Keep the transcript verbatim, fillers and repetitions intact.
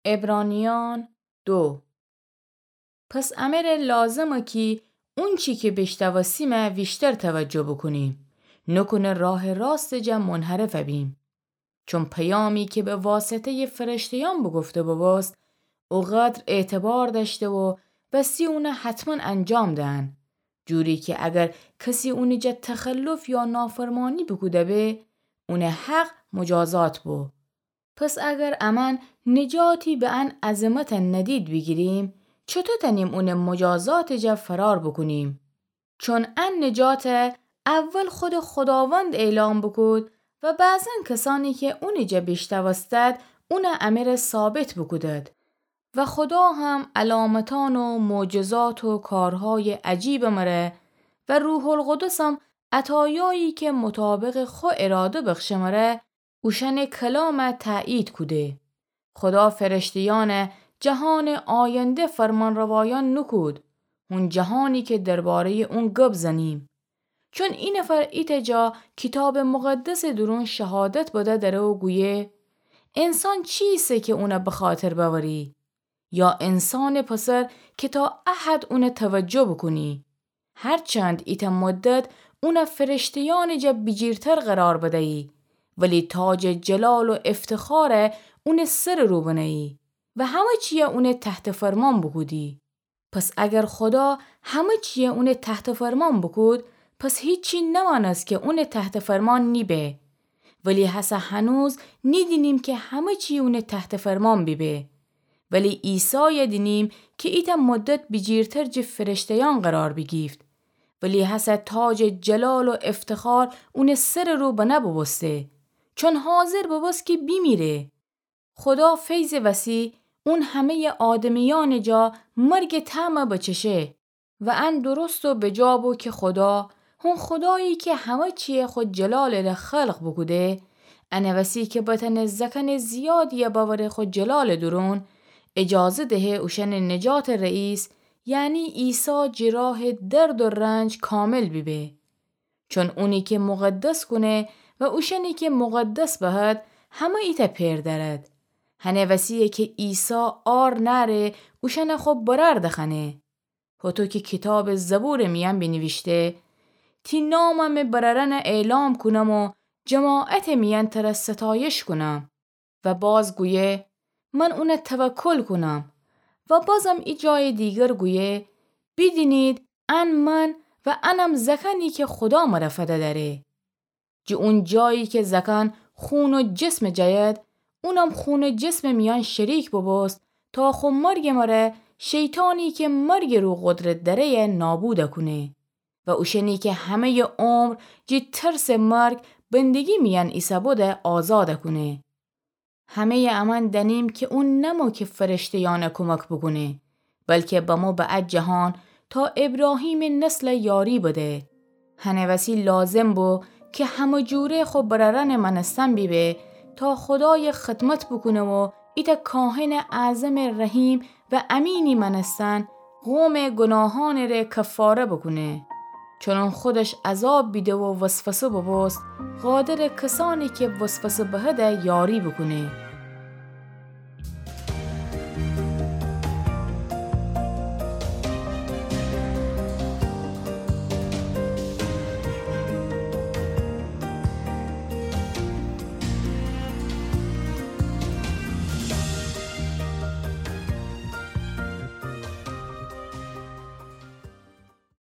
عبرانیان دو. پس امره لازمه کی اونچی کی بیشتاوستیمه ویشتر توجه بوکونیم، نوکونه راه راست جا منحرف بیم. چون پیامی کی به واسطه‌ی فرشته‌یان بوگفته بوبوست، اوقدر اعتبار دأشته و وسی اونه حتما انجام دهن. جوری کی اگر کسی اونی جا تخلف یا نافرمانی بوکوده به، اونه حق مجازات بو. پس اگر امأن نجاتی به ان عظمت ندید بیگیریم، چوطو تأنیم اونه مجازات جا فرار بوکونیم؟ چون ان نجات اول خود خداوند اعلام بوکود و بعضا کسانی کی اونی جا بیشتاوستد، اونه امره ثابت بوکودد. و خدا هم علامتان و معجزات و کارهای عجیب مره و روح‌القدسم عطایایی کی مطابق خو اراده بخشه مره، اوشأنٚ کلام تأیید کوده. خدا فرشته‌یأن جهانٚ آینده فرمانروایان نوکود، هون جهانی کی درباره‌یٚ اون گب زنیم. چون اینفر ایتأ جا کیتابٚ مقدسٚ دورون شهادت بده دره و گویه: انسان چیسه کی اونه بخاطر بأوری؟ یا انسانٚ پسر کی تا احد اونه توجه بوکونی؟ هرچند ایتأ مدت اونه فرشته‌یأنٚ جا بیجیرتر قرار بدیی، ولی تاجٚ جلال و افتخار اونٚ سرٚ رو بنهیی و همه چیه اونه تحت فرمان بوکودی. پس اگر خدا همه چیه اونه تحت فرمان بوکود، پس هیچی نمأنست کی اونه تحت فرمان نیبه. ولی هسه هنوز نیدینیم کی همه چی اونه تحت فرمان بیبه. ولی عیسای دینیم کی ایتأ مدت بیجیرتر جٚه فرشته‌یأن قرار بیگیفت. ولی هسه تاجٚ جلال و افتخار اونٚ سرٚ رو بنه بوبوسته، چون حاضر بوبوست کی بیمیره. خدا فیضٚ وسی اون همه‌یٚ آدمیأنٚ جا مرگٚ طعم بچشه و ان درست و بجا بو کی خدا، هون خدایی کی همه چیه خو جلالٚ ره خلق بوکوده، انٚ وسی کی بتأنه زأکأنٚ زیادیه بأوره خو جلالٚ دورون، اجازه دهه اوشأنٚ نجاتٚ رئیس، یعنی عیسی جٚه راه درد و رنج کامل بیبه. چون اونی کی مقدس کونه و اوشأنی کی مقدس بهد، همه ایتأ پئر دأرد. هنٚ وسیه کی عیسی عار نأره اوشأنه خو برأر دخوأنه. هوطو کی کیتابٚ زبورٚ میأن بینیویشته: تی نام می برأرأنه اعلام کونم و جماعتٚ میأن تره ستایش کونم. و باز گویه: من اونه توکل کونم. و بازم ای جایٚ دیگر گویه: بیدینید، ان من و انم زأکأنی کی خودا مره فده دأره. جٚه اون جایی کی زأکأن خون و جسم جأید، اونم خون و جسمٚ میأن شریک بوبوست، تا خو مرگٚ مره شیطانی کی مرگٚ رو قدرت دأره‌یه نابود کونه و اوشأنی کی همه‌یٚ عمر جٚه ترسٚ مرگ بندگی میأن ایسه‌بوده آزاد کونه. همه‌یٚ امأن دأنیم کی اون نمو کی فرشته‌یأنه کمک بوکونه، بلکی بمو به ا جهان تا ابراهیمٚ نسل یاری بده. هنٚ وسی لازم بو کی همه جوره خو برأرأنٚ مأنستن بیبه تا خودایٚ خدمت بوکونه و ایتأ کاهنٚ اعظمٚ رحیم و امینی مأنستن قومٚ گوناهأنٚ ره کفاره بوکونه. چون اون خودش عذاب بیده و وسوسه بوبوست، قادرٚ کسأنی کی وسوسه بهده یاری بوکونه.